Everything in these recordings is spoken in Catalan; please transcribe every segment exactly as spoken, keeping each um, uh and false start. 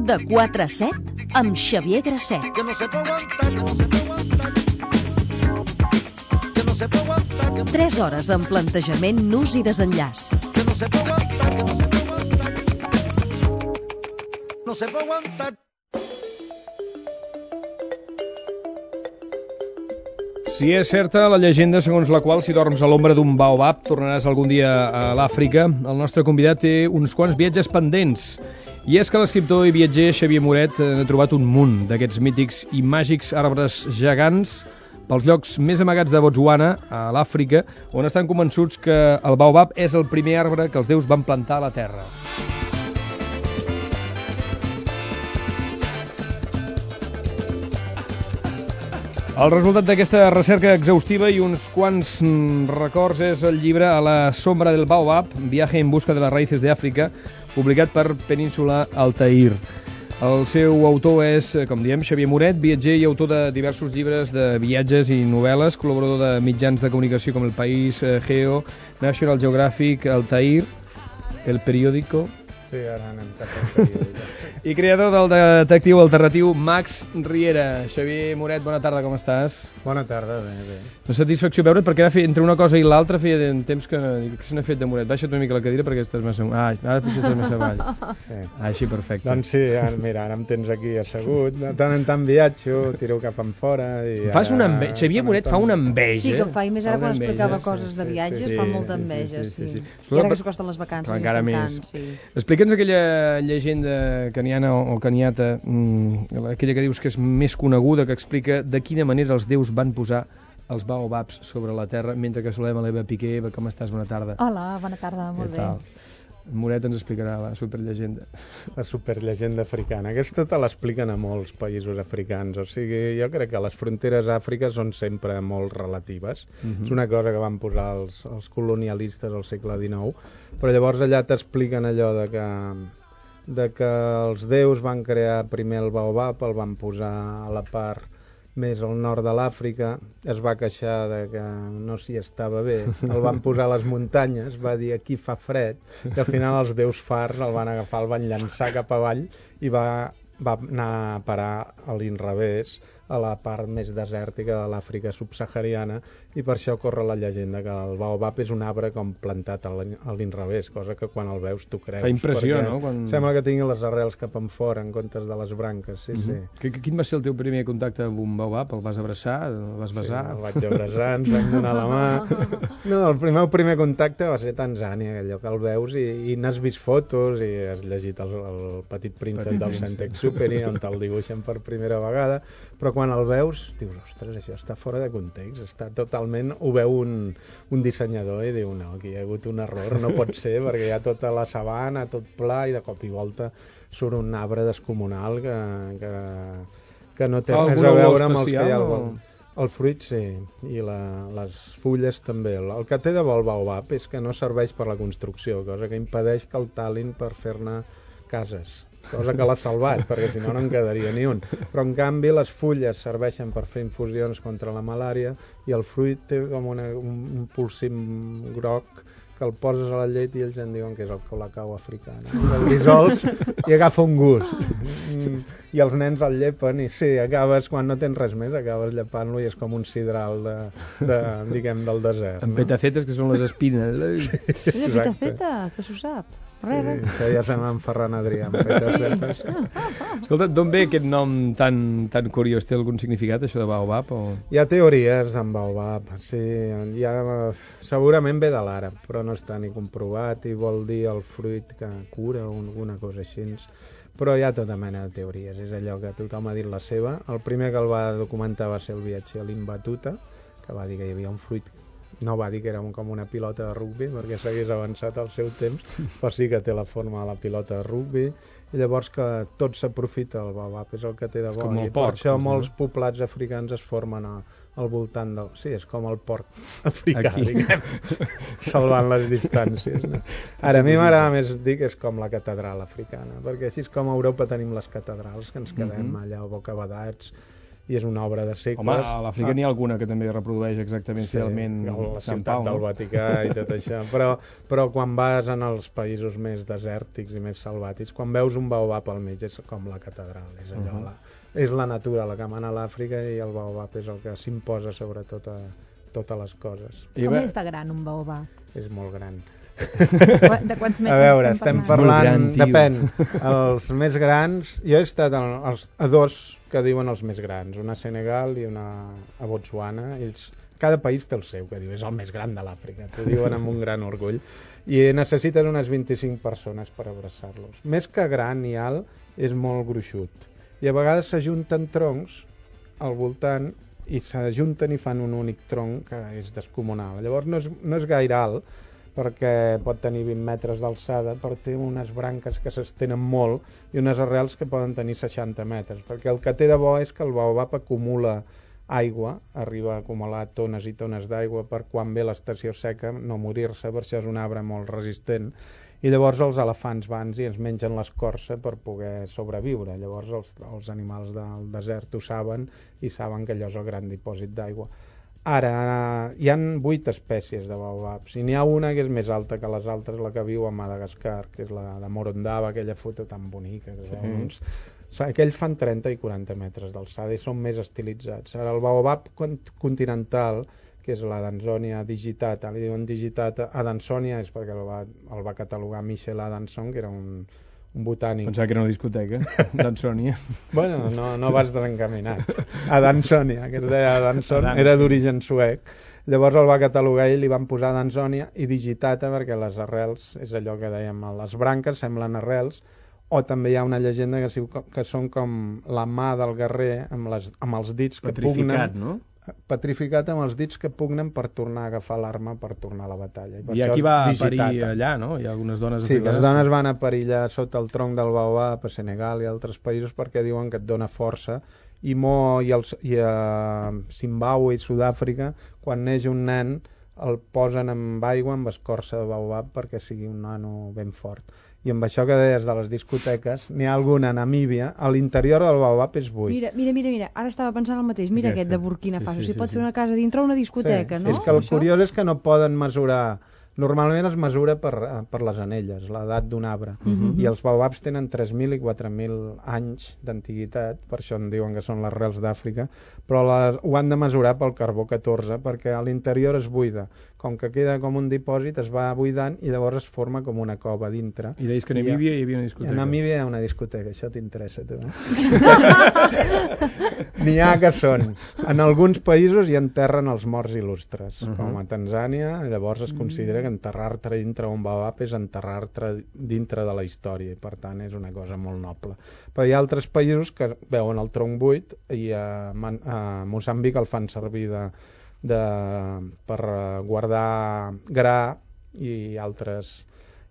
De quatre a set, amb Xavier Grasset. Tres hores amb plantejament, nus i desenllaç. Si és certa la llegenda segons la qual si dorms a l'ombra d'un baobab tornaràs algun dia a l'Àfrica, el nostre convidat té uns quants viatges pendents. I és que l'escriptor i viatger Xavier Moret ha trobat un munt d'aquests mítics i màgics arbres gegants pels llocs més amagats de Botswana, a l'Àfrica, on estan convençuts que el baobab és el primer arbre que els déus van plantar a la terra. El resultat d'aquesta recerca exhaustiva i uns quants records és el llibre A la sombra del baobab, viaje en busca de las raíces de Àfrica, publicat per Península Altair. El seu autor és, com diem, Xavier Moret, viatger i autor de diversos llibres de viatges i novel·les, col·laborador de mitjans de comunicació com El País, Geo, National Geographic, Altair, El Periódico... Sí, ara anem cap al periòdic. I creador del detectiu alternatiu Max Riera. Xavier Moret, bona tarda, com estàs? Bona tarda, bé, bé. Una satisfacció veure't, perquè ara feia, entre una cosa i l'altra feia de temps que, que se n'ha fet de Moret. Baixa't una mica la cadira perquè estàs massa... Ah, ara potser estàs massa avall. Sí. Ah, així, perfecte. Doncs sí, ara, mira, ara em tens aquí assegut. De tant en tant viatjo, tiro cap en fora i... Fas una enveja. Xavier Moret fa una enveja. Sí, que fa, i més ara quan explicava coses de viatges fa molta enveja, sí. I ara que s'acosten les vacances. Encara més. Explica'ns aquella llegenda caniana o caniata, mmm, aquella que dius que és més coneguda, que explica de quina manera els déus van posar els baobabs sobre la terra, mentre que saludem a l'Eva Piqué. Eva, com estàs? Bona tarda. Hola, bona tarda, molt bé. Moret ens explicarà la superllegenda. La superllegenda africana. Aquesta te l'expliquen a molts països africans. O sigui, jo crec que les fronteres a Àfrica són sempre molt relatives. Uh-huh. És una cosa que van posar els, els colonialistes al segle dinou. Però llavors allà t'expliquen allò de que, de que els déus van crear primer el baobab, el van posar a la part més al nord de l'Àfrica, es va queixar de que no s'hi estava bé, el van posar a les muntanyes, va dir aquí fa fred, i al final els déus fars el van agafar, el van llançar cap avall i va, va anar a parar a l'inrevés, a la part més desèrtica de l'Àfrica subsahariana, i per això corre la llegenda que el baobab és un arbre com plantat a l'inrevés, cosa que quan el veus tu creus. Fa impressió, no? Quan... Sembla que tingui les arrels cap en fora en comptes de les branques, sí, uh-huh. sí. Quin va ser el teu primer contacte amb un baobab? El vas abraçar? El vas besar? Sí, el vaig abraçar, ens vam donar la mà. No, el meu primer contacte va ser a Tanzània, allò que el veus i, i n'has vist fotos i has llegit el, el Petit Príncep Petit del Saint-Exupéry, on te'l dibuixen per primera vegada, però quan el veus, dius, ostres, això està fora de context, està totalment... Ho veu un, un dissenyador i diu, no, aquí hi ha hagut un error, no pot ser, perquè hi ha tota la sabana, tot pla, i de cop i volta surt un arbre descomunal que, que, que no té res a veure amb els que hi ha al vol. El fruit, sí, i la, les fulles també. El, el que té de bo el baobab és que no serveix per la construcció, cosa que impedeix que el talin per fer-ne cases. Cosa que l'ha salvat, perquè si no no en quedaria ni un. Però en canvi les fulles serveixen per fer infusions contra la malària i el fruit té com una, un, un polsim groc que el poses a la llet i ells en diuen que és el colacao africà. El dissols i agafa un gust. I els nens el llepen i sí, acabes, quan no tens res més, acabes llepant-lo i és com un sidral de, de, diguem, del desert. Amb no? Petacetes, que són les espines. Sí, sí, petaceta, que s'ho sap. Sí, això ja se m'en Ferran Adrià amb petacetes. Escolta, d'on ve aquest nom tan, tan curiós? Té algun significat, això de baobab? O... Hi ha teories d'en baobab, sí. Ha, segurament ve de l'àrab, però no està ni comprovat i vol dir el fruit que cura o alguna cosa així. Però hi ha tota mena de teories, és allò que tothom ha dit la seva. El primer que el va documentar va ser el viatger Ibn Battuta, que va dir que hi havia un fruit. No va dir que era com una pilota de rugbi perquè s'hagués avançat al seu temps, però sí que té la forma de la pilota de rugbi i llavors que tot s'aprofita, el baobab és el que té de bo i per això molts poblats africans es formen a, al voltant del... Sí, és com el porc africà, diguem, salvant les distàncies. No? Ara, a mi m'agrada més dir que és com la catedral africana, perquè així és com a Europa tenim les catedrals, que ens quedem allà bocabadats i és una obra de segles. Home, a l'Àfrica n'hi ha alguna que també reprodueix exactament sí, fidelment la Sant ciutat Pau, del no? Vaticà i tot això, però, però quan vas en els països més desèrtics i més salvàtics, quan veus un baobab al mig és com la catedral, és allò, uh -huh. la, és la natura la que mana a l'Àfrica i el baobab és el que s'imposa sobre tota, totes les coses. Com és de gran un baobab? És molt gran. De quants metres a veure, estem estem parlant, gran, depèn, els més grans, jo he estat a, als, a dos que diuen els més grans, una a Senegal i una a Botswana, ells, cada país té el seu, que diu, és el més gran de l'Àfrica, t'ho diuen amb un gran orgull, i necessiten unes vint-i-cinc persones per abraçar-los. Més que gran i alt, és molt gruixut, i a vegades s'ajunten troncs al voltant i s'ajunten i fan un únic tronc que és descomunal, llavors no és, no és gaire alt, perquè pot tenir vint metres d'alçada, però té unes branques que s'estenen molt i unes arrels que poden tenir seixanta metres, perquè el que té de bo és que el baobab acumula aigua, arriba a acumular tones i tones d'aigua per quan ve l'estació seca no morir-se, per això és un arbre molt resistent, i llavors els elefants van i ens mengen l'escorça per poder sobreviure, llavors els, els animals del desert ho saben i saben que allò és el gran dipòsit d'aigua. Ara, hi han vuit espècies de baobabs i n'hi ha una que és més alta que les altres, la que viu a Madagascar, que és la de Morondava, aquella foto tan bonica. Que sí. Uns... Aquells fan trenta i quaranta metres d'alçada i són més estilitzats. Ara, el baobab continental, que és la Dansonia digitata, li diuen digitata, Adansonia és perquè el va, el va catalogar Michel Adanson, que era un... un botànic. Pensava que era una discoteca, Dansonia. Bueno, no, no vas desencaminat. A Dansonia, que es deia Danson, era d'origen suec. Llavors el va catalogar i li van posar Dansonia i digitata perquè les arrels, és allò que dèiem, les branques semblen arrels, o també hi ha una llegenda que, que són com la mà del guerrer amb, les, amb els dits que petrificat, pugnen... no? Petrificat amb els dits que pugnen per tornar a agafar l'arma per tornar a la batalla. I, I aquí va a parir allà, no? Hi ha algunes dones sí, africanes. Les dones van a parir allà sota el tronc del baobab a Senegal i altres països perquè diuen que et dona força i, mo, i, els, i a Zimbàbue i Sud-àfrica quan neix un nen el posen amb aigua amb escorça de baobab perquè sigui un nano ben fort. I amb això que deies de les discoteques, n'hi ha alguna a Namíbia, a l'interior del baobab és buit. Mira, mira, mira, mira. Ara estava pensant el mateix. Mira Aquesta. Aquest de Burkina Faso. Sí, sí, si pot sí, fer sí. una casa dintre una discoteca, sí, no? És que el això? curiós és que no poden mesurar... Normalment es mesura per, per les anelles, l'edat d'un arbre. Uh-huh. I els baobabs tenen tres mil i quatre mil anys d'antiguitat, per això en diuen que són les arrels d'Àfrica, però les, ho han de mesurar pel carbó catorze, perquè a l'interior es buida. Com que queda com un dipòsit, es va buidant i llavors es forma com una cova dintre. I deies que a Namíbia hi havia una discoteca. A Namíbia hi ha una discoteca, això t'interessa, tu, eh? N'hi ha que són. En alguns països hi enterren els morts il·lustres, uh-huh. com a Tanzània, llavors es considera que enterrar-te dintre un baobab és enterrar-te dintre de la història, i per tant és una cosa molt noble. Però hi ha altres països que veuen el tronc buit i a, Man- a Moçambic el fan servir de, de, per guardar gra i altres,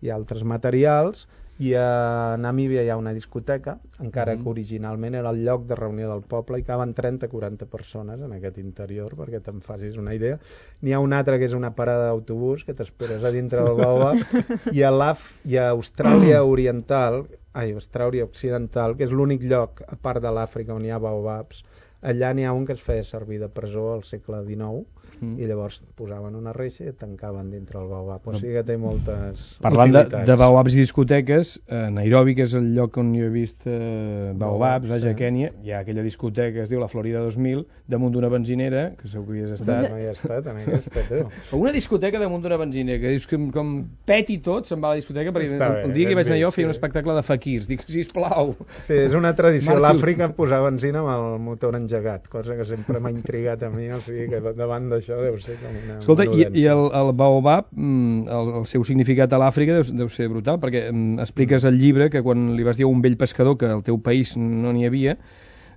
i altres materials, i a Namíbia hi ha una discoteca, encara que originalment era el lloc de reunió del poble i caben trenta a quaranta persones en aquest interior, perquè te'n facis una idea. N'hi ha una altra que és una parada d'autobús que t'esperes a dintre del baobab, i a, l'Af, i a Austràlia Oriental, ai, Austràlia Occidental, que és l'únic lloc, a part de l'Àfrica, on hi ha baobabs, allà n'hi ha un que es feia servir de presó al segle dinou, mm. i llavors posaven una reixa i et tancaven dintre el baobab. O sigui que té moltes Parlant de, utilitats. de baobabs i discoteques, a Nairobi, que és el lloc on jo he vist eh, baobabs, Baobab, vaja, sí. a Kènia, hi ha aquella discoteca que es diu la Florida dos mil, damunt d'una benzinera, que segur que hi has estat. No hi ha estat en aquesta, tu. O una discoteca damunt d'una benzinera, que dius que com peti tot, se'n va a la discoteca, perquè Està un bé, dia que ben vaig anar jo a vist, fer un sí. espectacle de faquirs. Dic, sisplau. Sí, és una tradició. Marxi. L'Àfrica posar benzina amb el motor engegat, cosa que sempre m'ha intrigat a mi, o sigui que davant d'això deu ser com una... Escolta, i, i el... el, el baobab, mm, el, el seu significat a l'Àfrica deu, deu ser brutal, perquè mm, expliques al llibre que quan li vas dir a un vell pescador que al teu país no n'hi havia,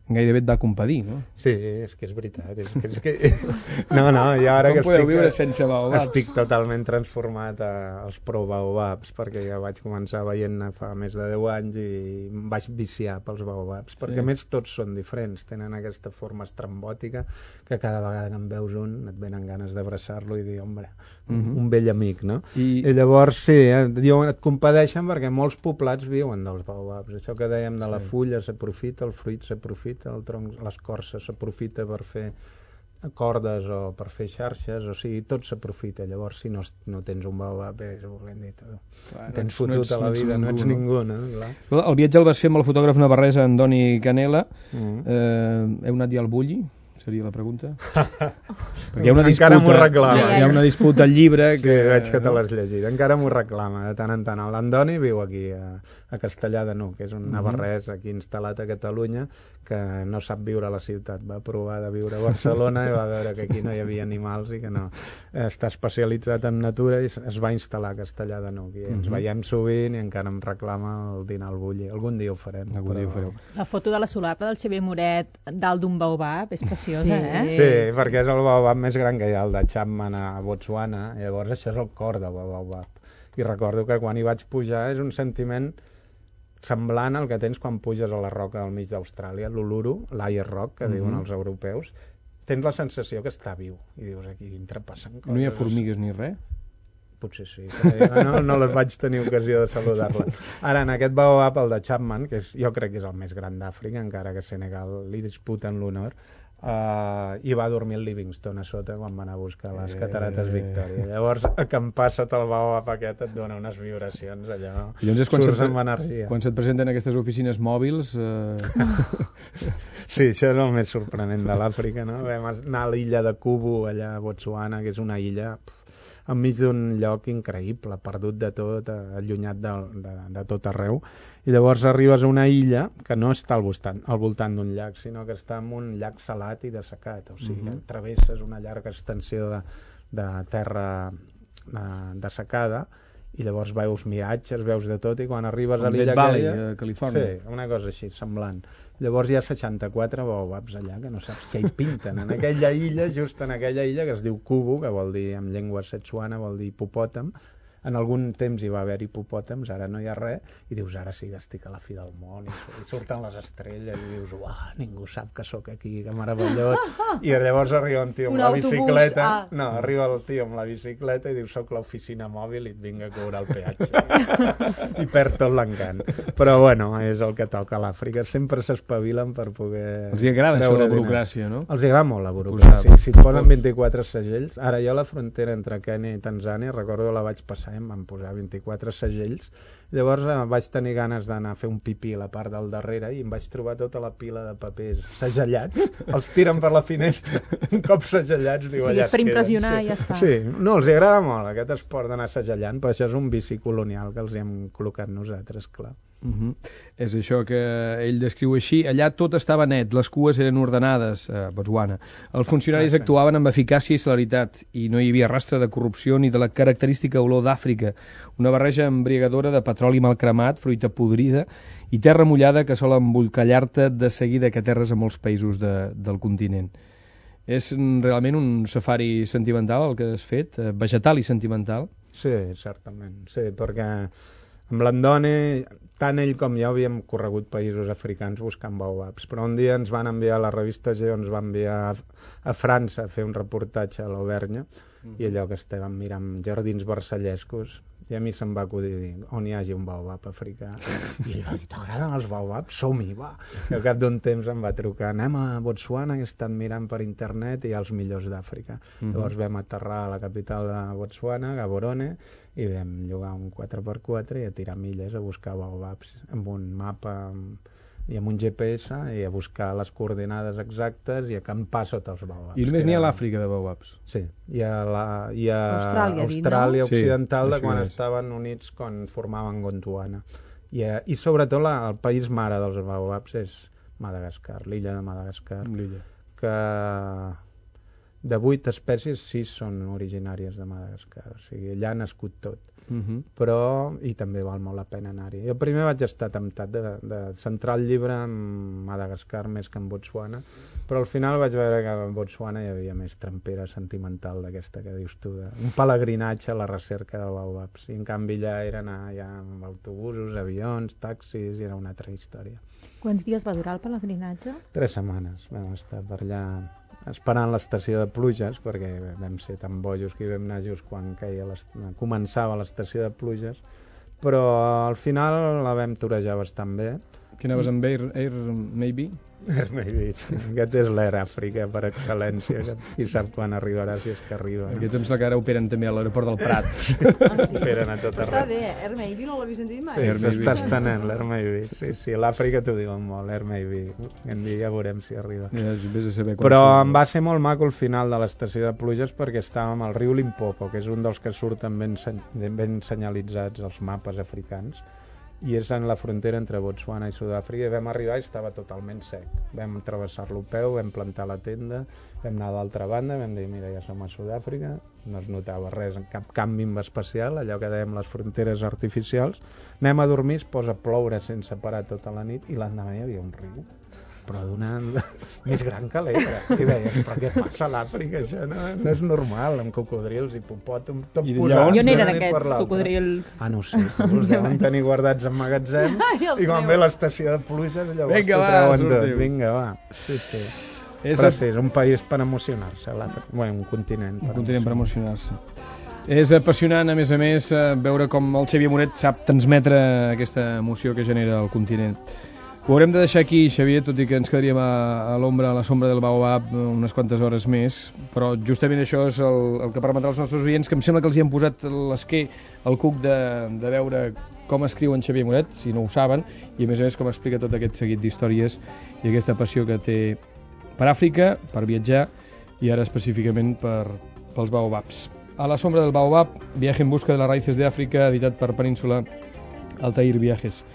gairebé et va compadir, no? Sí, és que és veritat. És que, és que... No, no, i ara Com que podeu estic, viure sense baobabs? estic totalment transformat a, als pro-baobabs, perquè ja vaig començar veient-ne fa més de deu anys i em vaig viciar pels baobabs, perquè Sí. a més tots són diferents, tenen aquesta forma estrambòtica que cada vegada que en veus un et venen ganes d'abraçar-lo i dir, home, Mhm. un vell amic, no? I- I llavors, sí, eh, diuen, et compadeixen perquè molts poblats viuen dels baobabs. Això que dèiem de la fulla s'aprofita, el fruit s'aprofita, dit, el tronc, l'escorça s'aprofita per fer cordes o per fer xarxes, o sigui, tot s'aprofita. Llavors, si no, no tens un baobab, és el que hem dit, clar, tens no fotut ets, a la no vida, ningú, no ets ningú, no? Clar. El viatge el vas fer amb el fotògraf navarrès Andoni Canela. Mm. Eh, heu anat ja al Bulli? Seria la pregunta. Perquè hi ha una disputa, encara m'ho reclama. Hi ha, hi ha una disputa al llibre que... Sí, veig que te l'has llegit. Encara m'ho reclama, de tant en tant. L'Andoni viu aquí, a, a Castellar de N'Hug, que és un navarrès aquí instal·lat a Catalunya, que no sap viure a la ciutat. Va provar de viure a Barcelona i va veure que aquí no hi havia animals i que no. Està especialitzat en natura i es va instal·lar a Castellar de N'Hug. I ens uh-huh. veiem sovint i encara em reclama el dinar al Bulli. Algun dia ho farem. Algun dia ho fareu. La foto de la solapa del Xavier Moret dalt d'un baobab és preciosa. Sí, eh? sí, sí, perquè és el baobab més gran que hi ha, el de Chapman a Botswana. Llavors això és el cor del baobab. I recordo que quan hi vaig pujar és un sentiment semblant al que tens quan puges a la roca al mig d'Austràlia, l'Uluru, l'Ayer Rock, que mm-hmm. diuen els europeus. Tens la sensació que està viu. I dius, aquí dintre passen coses. No hi ha formigues ni res? Potser sí, no, no les vaig tenir ocasió de saludar-la. Ara, en aquest baobab, el de Chapman, que és, jo crec que és el més gran d'Àfrica, encara que Senegal li disputen l'honor, uh, hi va dormir el Livingstone a sota quan va anar a buscar les catarates Victòria. Llavors, acampar sota el baobab aquest et dona unes vibracions allò, llavors quan surts amb energia. Quan se't presenten aquestes oficines mòbils... Eh... Sí, això és el més sorprenent de l'Àfrica, no? Vam anar a l'illa de Kubu, allà a Botswana, que és una illa... enmig d'un lloc increïble, perdut de tot, allunyat de, de, de tot arreu, i llavors arribes a una illa que no està al voltant, al voltant d'un llac, sinó que està en un llac salat i dessecat, o sigui, uh-huh. travesses una llarga extensió de, de terra de, dessecada, i llavors veus miratges, veus de tot, i quan arribes com a l'illa Valley, aquella... a Califòrnia. Sí, una cosa així, semblant. Llavors hi ha seixanta-quatre baobabs allà, que no saps què hi pinten. En aquella illa, just en aquella illa, que es diu Kubu, que vol dir, en llengua setsuana, vol dir hipopòtam. En algun temps hi va haver hipopòtams, ara no hi ha res, i dius, ara sí que estic a la fi del món, i surten les estrelles, i dius, uah, ningú sap que sóc aquí, que meravellós. I llavors arriba un tio amb un la autobús, bicicleta, ah. no, arriba el tio amb la bicicleta i diu, soc l'oficina mòbil i et vinc a cobrar el peatge. I perd tot l'encant. Però bueno, és el que toca a l'Àfrica, sempre s'espavilen per poder... Els agrada això la burocràcia, no? Els agrada molt la burocràcia. Si et posen vint-i-quatre segells, ara jo a la frontera entre Kenya i Tanzània, recordo la vaig passar, em van posar vint-i-quatre segells, llavors eh, vaig tenir ganes d'anar a fer un pipí a la part del darrere i em vaig trobar tota la pila de papers segellats, els tiren per la finestra, un cop segellats, diu, sí, allà és per impressionar sí. i ja està. Sí, no, els agrada molt aquest esport d'anar segellant, però això és un vici colonial que els hem col·locat nosaltres, clar. Uh-huh. És això que ell descriu així. Allà tot estava net, les cues eren ordenades a Botswana. Els funcionaris ah, sí. actuaven amb eficàcia i celeritat i no hi havia rastre de corrupció ni de la característica olor d'Àfrica, una barreja embriagadora de petroli mal cremat, fruita podrida i terra mullada que sol embolcallar-te de seguida que aterres a molts països de, del continent. És realment un safari sentimental el que has fet, vegetal i sentimental? Sí, certament, sí, perquè amb l'Andoni, tant ell com jo havíem corregut països africans buscant baobabs, però un dia ens van enviar, la revista Geo ens va enviar a, a França a fer un reportatge a l'Auvergne, mm. i allò que estàvem mirant jardins versallescos, i a mi se'm va acudir dir, on hi hagi un baobab africà. I ell va dir, t'agraden els baobabs? Som-hi, va! I al cap d'un temps em va trucar, anem a Botswana, que he estat mirant per internet i hi ha els millors d'Àfrica. Mm-hmm. Llavors vam aterrar a la capital de Botswana, Gaborone, i vam llogar un quatre per quatre i a tirar milles a buscar baobabs amb un mapa amb... i amb un G P S i a buscar les coordinades exactes i acampar sota els baobabs. I només n'hi ha a l'Àfrica de baobabs? Sí, hi ha, la, hi ha Austràlia, Austràlia dit, no? Occidental, sí, de quan és. estaven units, quan formaven Gondwana. I, I sobretot la, el país mare dels baobabs és Madagascar, l'illa de Madagascar, l'illa. Que de vuit espècies, sis són originàries de Madagascar, o sigui, allà ha nascut tot. Uh-huh. Però, i també val molt la pena anar-hi. Jo primer vaig estar temptat de, de centrar el llibre en Madagascar més que en Botswana, però al final vaig veure que en Botswana hi havia més trempera sentimental d'aquesta que dius tu, de, un pelegrinatge a la recerca de baobabs, i en canvi allà era anar ja amb autobusos, avions, taxis, i era una altra història. Quants dies va durar el pelegrinatge? Tres setmanes vam estar per allà esperant l'estació de pluges, perquè vam ser tan bojos que hi vam anar just quan caia començava l'estació de pluges, però al final la vam torejar bastant bé. Que anaves amb Air, Air maybe? Hermei Beach. Aquest és l'Air Àfrica per excel·lència. Qui sap quan arribarà, si és que arriba. Aquests em sembla que ara operen també a l'aeroport del Prat. Ah, sí? Operen a tot arreu. Està bé, Hermei Beach no l'havia sentit mai. Sí, s'està estenent l'Hermei Beach. Sí, sí, l'Àfrica t'ho diuen molt, l'Hermei Beach. En dia ja veurem si arriba. Ja, vés a saber quan Però surt. em va ser molt maco el final de l'estació de pluges perquè estàvem al riu Limpopo, que és un dels que surten ben, ben senyalitzats als mapes africans, i és en la frontera entre Botswana i Sud-àfrica, i vam arribar i estava totalment sec. Vam travessar-lo a peu, vam plantar la tenda, vam anar a l'altra banda, vam dir, mira, ja som a Sud-àfrica, no es notava res, cap canvi especial, allò que dèiem les fronteres artificials. Anem a dormir, es posa a ploure sense parar tota la nit, i l'endemà hi havia un riu, però d'una... més gran que l'Ebre. I deies, però què passa a l'Àfrica? Això no, no és normal, amb cocodrils, hipopòtams, tot posat. I on eren aquests cocodrils? Ah, no ho sé, els deuen tenir guardats en magatzem, i quan ve l'estació de pluges, llavors Vinga, t'ho va, treuen tot. sortiu. Vinga, va. Sí, sí. És Però a- sí, és un país per emocionar-se, l'Àfrica. Bueno, un continent. Un continent per emocionar-se. És apassionant, a més a més, eh, veure com el Xavier Moret sap transmetre aquesta emoció que genera el continent. Ho haurem de deixar aquí, Xavier, tot i que ens quedaríem a, a l'ombra, a la sombra del Baobab, unes quantes hores més, però justament això és el, el que permetrà als nostres oients, que em sembla que els hi han posat l'esquer al cuc de, de veure com escriu en Xavier Moret, si no ho saben, i a més a més com explica tot aquest seguit d'històries i aquesta passió que té per Àfrica, per viatjar, i ara específicament per, pels Baobabs. A la sombra del Baobab, viaje en busca de las raíces de Àfrica, editat per Península Altair Viajes.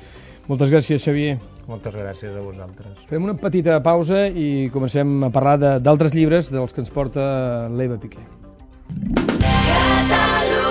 Moltes gràcies, Xavier. Moltes gràcies a vosaltres. Fem una petita pausa i comencem a parlar de- d'altres llibres dels que ens porta l'Eva Piqué. Catalunya.